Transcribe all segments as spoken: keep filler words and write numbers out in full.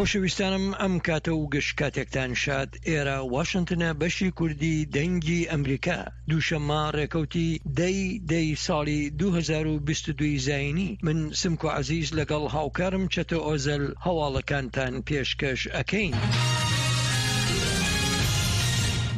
خۆشەویستانم ئەم کاتە و گشت کاتێکتان شاد. ئێرە واشنتنە، بەشی کوردی دەنگی ئەمریکا. دووشەممە ڕێکەوتی دەی دەی ساڵی دوو هەزار و بیست و دوو زایینی، من سمکۆ عەزیز لەگەڵ هاوکارم چەتۆ ئۆزەل هەواڵەکانتان پێشکەش ئەکەین.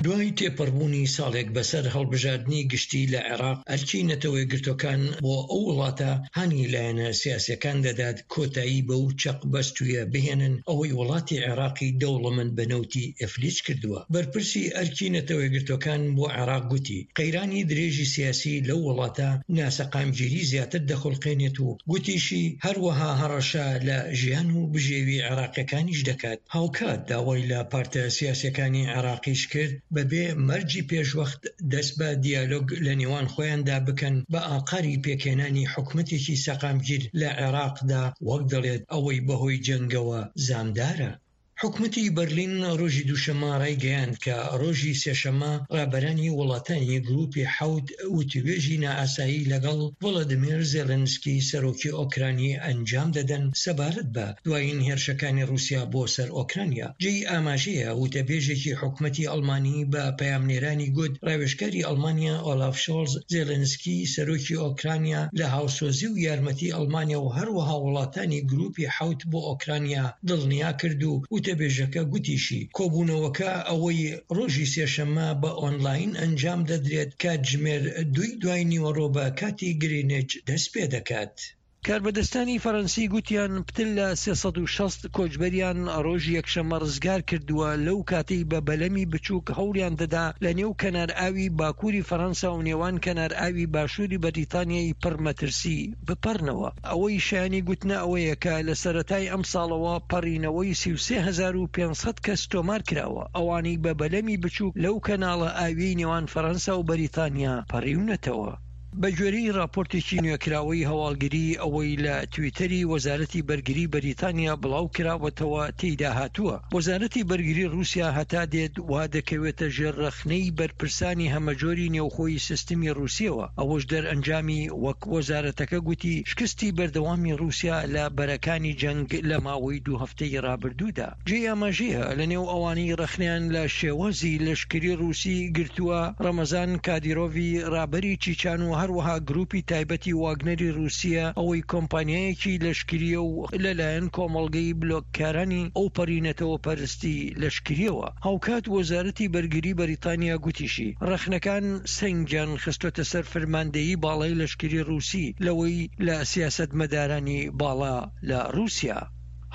دوای تێپەڕبوونی ساڵێک بەسەر هەڵبژاردنی گشتی لە عێراق، ئەرکی نەتەوەیەکگرتووەکان بۆ ئەو وڵاتە هانی لایەنە سیاسیەکان دەدات کۆتایی بەو چەق بەستوویە بهێنن ئەوەی وڵاتی عێراقی دەوڵەمەند بە نەوتی ئیفلیج کردووە. بەرپرسی ئەرکی نەتەوەیەکگرتووەکان بۆ عێراق گوتی، قەیرانی درێژی سیاسی لەو وڵاتە ناسەقامگیری زیاتر دەخولقێنێت و گوتیشی، هەروەها هەڕەشە لە ژیان و بژێوی عێراقیەکانیش دەکات. هاوکات داوای لە پارتە سیاسیەکانی عێراقیش کرد بەبێ مەرجی پێشوەخت دەست بە دیالۆگ لە نێوان خۆیاندا بکەن بە ئاقاری پێکهێنانی حکومەتێکی سەقامگیر لە عێراقدا، وەک دەڵێت ئەوەی بەهۆی جەنگەوە زامدارە. حکومەتی بەرلین ڕۆژی دووشەممە ڕایگەیاند کە ڕۆژی سێشەممە ڕابەرانی وڵاتانی گروپی حەوت وتوێژی نائاسایی لەگەڵ ڤۆلۆدیمێر زێلێنسکی سەرۆکی ئۆکرانی ئەنجام دەدەن سەبارەت بە دوایین هێرشەکانی ڕووسیا بۆ سەر ئۆکرانیا. جێی ئاماژەیە وتەبێژێکی حکومەتی ئەڵمانی بە پەیامنێرانی گوت ڕاوێژکاری ئەڵمانیا ئۆلاف شۆڵز زێلێنسکی سەرۆکی ئۆکرانیا لە هاوسۆزی و یارمەتی ئەڵمانیا و هەروەها وڵاتانی گروپی حەوت بۆ ئۆکرانیا دڵنیا کرد و وتەبێژەکە گوتیشی کۆبوونەوەکە ئەوەی ڕۆژی سێشەممە بە ئۆنلاین ئەنجام دەدرێت کاتژمێر دووی دوای نیوەڕۆ بە کاتی گرینیچ دەست پێ دەکات. کاربەدەستانی فەرەنسی گوتیان پتر لە سێ سەد و شەست کۆچبەریان ڕۆژی یەکشەممە ڕزگار کردووە لەو کاتەی بە بەلەمی بچووک هەوڵیان دەدا لە نێو کەنار ئاوی باکووری فەرەنسا و نێوان کەنار ئاوی باشووری بەریتانیای پڕ مەترسی بپەڕنەوە. ئەوەی شایانی گوتنە ئەوەیە کە لە سەرەتای ئەمساڵەوە پەڕینەوەی سی و سێ هەزار و پێنج سەد کەس تۆمار کراوە، ئەوانەی بە بەلەمی بچووک لەو کەناڵە ئاویەی نێوان فەرەنسا و بەریتانیا پەڕیونەتەوە. بە گوێرەی راپۆرتێکی نوێکراوەی هەواڵگری ئەوەی لە تویتەری وەزارەتی بەرگری بەریتانیا بڵاو کراوەتەوە تێیدا هاتووە وەزارەتی بەرگری رووسیا هەتا دێت وا دەکەوێتە ژێر رەخنەی بەرپرسانی هەمەجۆری نێوخۆی سیستمی رووسیەوە، ئەوەش دەرئەنجامی وەک وەزارەتەکە گوتی شکستی بەردەوامی رووسیا لە بەرەکانی جەنگ لە ماوەی دوو هەفتەی رابردوودا. جێی ئاماژەیە لە نێو ئەوانەی رەخنەیان لە شێوازی لەشکری رووسی گرتووە رەمەزان کادیرۆڤی رابەری چیچان و هەروەها گروپی تایبەتی واگنەری رووسیە ئەوەی کۆمپانیایەکی لەشکریە و لەلایەن کۆمەڵگەی بلۆککارانی ئەوپەڕی نەتەوەپەرستی لەشکریەوە. هاوکات وەزارەتی بەرگری بەریتانیا گوتیشی رەخنەکان سەنگیان خستۆتە سەر فرماندەیی باڵای لەشکری رووسی لەوەی لە سیاسەتمەدارانی باڵا لە رووسیا.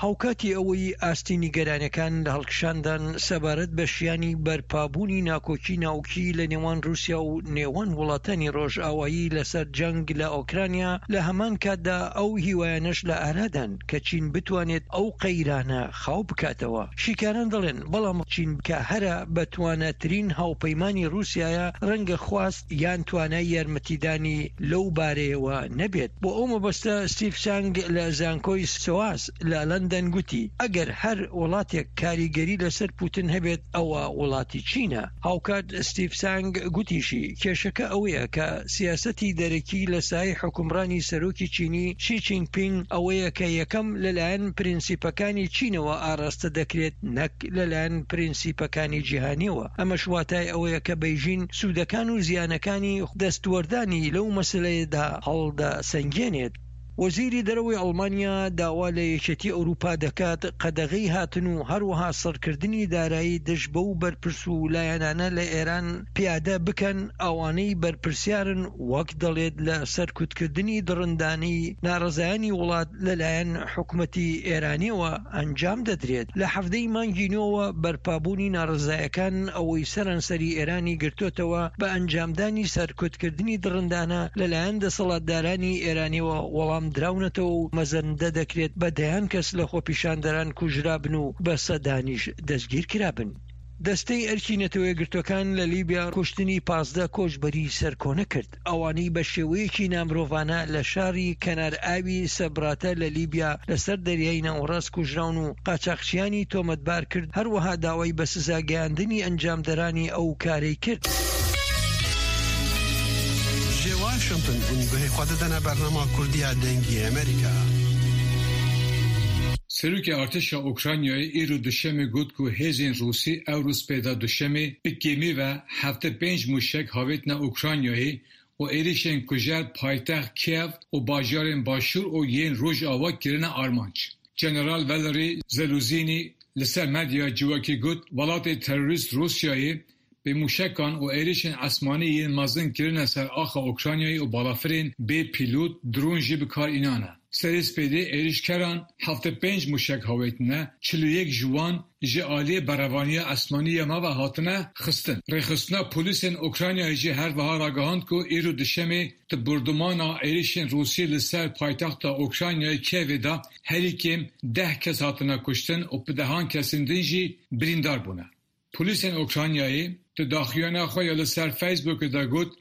هاوکاتی ئەوەی ئاستی نیگەرانیەکان لە هەڵکشاندان سەبارەت بە شیانی بەرپابوونی ناکۆکی ناوکی لە نێوان رووسیا و نێوان وڵاتانی ڕۆژئاوایی لەسەر جەنگ لە ئۆکرانیا، لە هەمان کاتدا ئەو هیوایانەش لە ئارادان کە چین بتوانێت ئەو قەیرانە خاو بکاتەوە. شیکاران دەڵێن بەڵام چین کە هەرە بەتواناترین هاوپەیمانی رووسیایە ڕەنگە خواست یان توانای یارمەتیدانی لەو بارەیەوە نەبێت. بۆ ئەو مەبەستە ستیڤ سانگ لە زانکۆی سۆاس لە لەندەن گوتی ئەگەر هەر وڵاتێک کاریگەری لەسەر پوتن هەبێت ئەوە وڵاتی چینە. هاوکات ستیڤ سانگ گوتیشی کێشەکە ئەوەیە کە سیاسەتی دەرەکی لە سایەی حوکمڕانی سەرۆکی چینی شی چینگ پینگ ئەوەیە کە یەکەم لەلایەن پرینسیپەکانی چینەوە ئاراستە دەکرێت نەک لەلایەن پرینسیپەکانی جیهانیەوە. ئەمەش واتای ئەوەیە کە بەیژین سوودەکان و زیانەکانی دەستوەردانی لەو مەسەلەیەدا هەڵدەسەنگێنێت. وەزیری دەرەوەی ئەڵمانیا داوا لە یەکێتی ئەوروپا دەکات قەدەغەی هاتن و هەروەها سڕکردنی دارایی دژ بەو بەرپرس و لایەنانە لە ئێران پیادە بکەن ئەوانەی بەرپرسیارن وەک دەڵێت لە سەرکوتکردنی دڕندانەی ناڕەزایانی وڵات لەلایەن حکومەتی ئێرانیەوە ئەنجام دەدرێت. لە حەڤدە ی مانگی نۆوە بەرپابوونی ناڕەزایەکان ئەوەی سەرانسەری ئێرانی گرتۆتەوە بە ئەنجامدانی سەرکوتکردنی دڕندانە لەلایەن دەسەڵاتدارانی ئێرانیەوە وەڵام دراونەتەوە و مەزەندە دەکرێت بە دەیان کەس لە خۆپیشاندەران کوژرابن و بە سەدانیش دەستگیرکرابن. دەستەی ئەرکی نەتەوەیەکگرتووەکان لە لیبیا کوشتنی پازدە کۆچبەری سەرکۆنە کرد، ئەوانەی بە شێوەیەکی نامرۆڤانە لە شاری کەنار ئاوی سەبراتە لە لیبیا لەسەر دەریای ناوەڕاست کوژراون و قاچاخچیانی تۆمەتبار کرد، هەروەها داوای بە سزا گەیاندنی ئەنجامدەرانی ئەو کارەی کرد. Ji Washington hûn guhê xwe didine bernama Kurdî ya Dengê Amerîka. Serokê Artêşa Ukraynayê îro Duşemê got ku hêzên Rûsî ew rû spêda Duşemê bi kêmî ve heftê pênc mûşek havêtine Ukraynayê û êrişên kujer paytext Kiev û bajarên Başûr û yên Rojava kirine armanc. General Valery Zeluzini li ser medyaya civakî got welatê terorîst Rûsyayê bi mûşekan û êrişên esmanî yên mezin kirine ser axa Ukraynayê û balafirên bê pîlot dron jî bi kar înane. Serê spêdê êrişkeran heftê pênc mûşek havêtine, çil û yek ji wan ji aliyê berevaniya esmanî ya me ve hatine xistin. Rêxistina polîsên Ukraynayê jî her wiha ragihand ku îro Duşemê di bordûmana êrişên Rûsî li ser paytexta Ukraynayê Kievê de herî kêm deh kes hatine kuştin û bi dehan kesên din jî birîndar bûne. Polîsên Ukraynayê di daxuyaniya xwe ya li ser Facebookê de got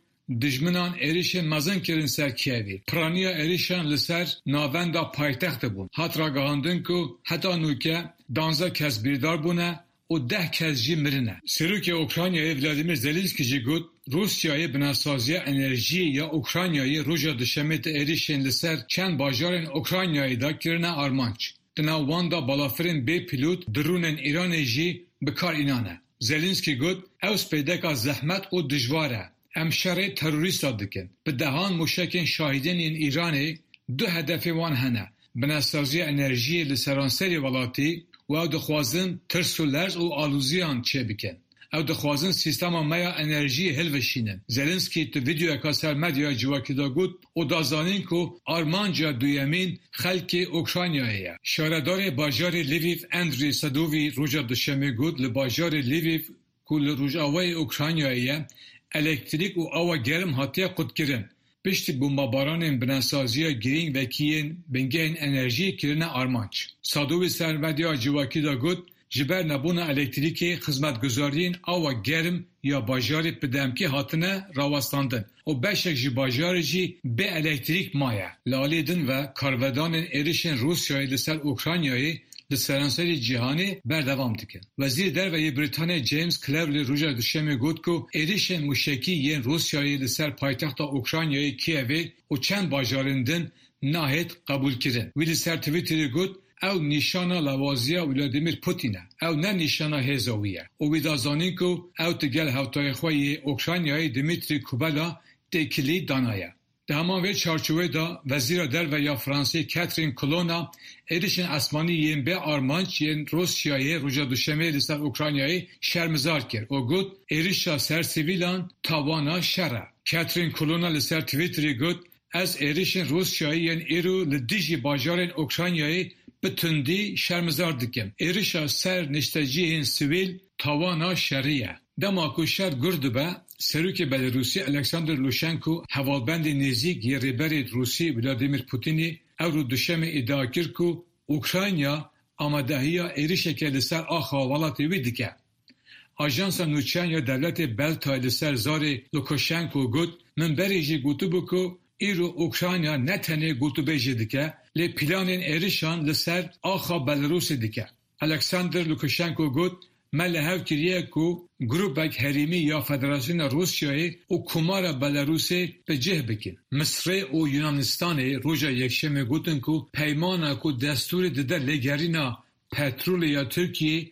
dijminan êrişên mezin kirin ser Kievê. Piraniya êrişan li ser navenda paytextê bûn. Hat ragihandin ku heta nûke duwazdeh kes birîndar bûne û deh kes jî mirine. Serokê Ukraynayê Vladimir Zelenski jî got Rûsyayê binesaziya enerjiyê ya Ukraynayê roja Duşemê di êrişên li ser çend bajarên Ukraynayê de kirine armanc. Di nav wan de balafirên bê pîlot dronên Îranê jî bi kar înane. Zelenski got ew spêdeka zehmet û dijwar e. Em şerê terorîsta dikin. Bi dehan mûşekên şahîdên yên Îranê du hedefên wan hene. Binesaziya enerjiyê li seranserê welatî û ew dixwazin tirs û lerz û aloziyan çêbikin. Ew dixwazin sîstema me ya enerjiyê hilweşînin. Zelenski di vîdeoyeka ser medyaya civakî de got û da zanîn ku armanca duyemîn xelkê Ukraynayê ye. Şaredarê bajarê Lviv Andriy Sadovî roja Duşemê got li bajarê Lviv ku li Rojavayê Ukraynayê ye elektrîk û awa germ hatiye qutkirin. Piştî bombebaranên binesaziya girîng wekî yên bingehên enerjiyê kirine armanc. Sadovî ser medyaya civakî de got ji ber nebûna elektrîkê xizmetguzariyên awa germ ya bajarê bi demkî hatine rawestandin û beşek ji bajarê jî bê elektrîk maye. Li aliyê din ve karvedanên êrişên Rûsyayê li ser Ukraynayê li seranserê cîhanê berdewam dikin. Wezîrê Derve yê Brîtanyayê James Cleverly roja Duşemê got ku êrişên mûşekî yên Rûsyayê li ser paytexta Ukraynayê Kievê û çend bajarên din nahêt qebûlkirin. Wî li ser Twitterê got ew nîşana lewaziya Vladimir Putin e. Ew ne nîşana hêza wî ye. Û wî da zanîn ku ew digel hevtayê xwe yê Ukraynayê Dmitri Kuleba têkilî danaye. Di heman vê çarçoveyê de Wezîra Derve ya Fransî Catherine Colonna êrişên esmanî yên bê armanc yên Rûsyayê roja Duşemê li ser Ukraynayê şermezar kir û got êrişa ser sivîlan tawana şer e. Catherine Colonna li ser Twitterê got ez êrişên Rûsyayê yên îro li dijî bajarên Ukraynayê bi tundî şermezar dikim. Êrişa ser niştecihên sivîl tawana şerî ye. Dema ku şer gur dibe, Serokê Belarûsî Alexander Lukashenko hevalbendê nêzîk yê rêberê Rûsî Vladimir Putinê ew rû Duşemê îdia kir ku Ukrayna amadehiya êrişeke li ser axa welatê wî dike. Ajansa nûçeyan ya dewletê Beltayê li ser zarê Lukashenko got min berê jî gotibû ku îro Ukrayna ne tenê gotûbêjê dike, lê planên êrişan li ser axa Belarûsê dike. Alexander Lukashenko got me li hev kiriye ku grûpek herêmî ya Federasyona Rûsyayê û Komara Belarûsê bi cih bikin. Misrê û Yunanistanê roja Yekşemê gotin ku peymana ku destûrê dide lêgerîna petrolê ya Tirkiyeyê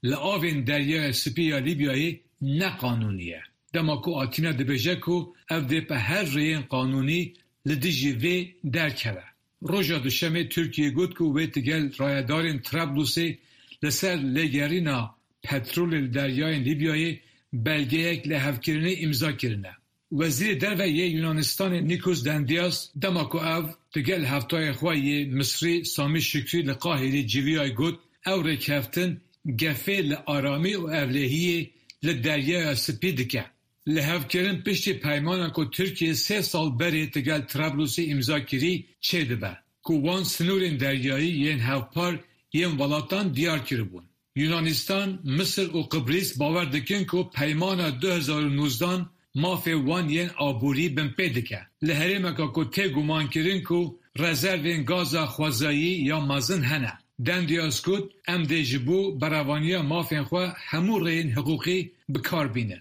li avên Deryaya Spî ya Lîbyayê ne qanûnî ye. Dema ku Atîna dibêje ku ev dê bi her rêyên qanûnî li dijî vê derkeve. Roja Duşemê Tirkiye got ku wê digel rayedarên Trablusê li ser lêgerîna petrolê li deryayên Lîbyayê belgeyek lihevkirinê îmza kirine. Wezîrê Derve yê Yunanistanê Nikos Dendias dema ku ew digel hevtayê xwe yê Misrî Samî Şikrî li Qahîrê civiyayê got ew rêkeftin gefê li aramî û ewlehiyê li Deryaya Spî dike. Lihevkirin piştî peymana ku Tirkiye sê sal berê digel Trablusê îmza kirî çêdibe ku wan sinorên deryayî yên hevpar yên welatan diyar kiribûn. Yunanistan, Misir û Qibris bawer dikin ku peymana du hezar û nozdan mafê wan yên aborî binpê dike. Li herêmeka ku tê gumankirin ku rezervên gaza xwezayî ya mezin hene. Dendias got em dê ji bo berevaniya mafên xwe hemû rêyên hiqûqî bi kar bînin.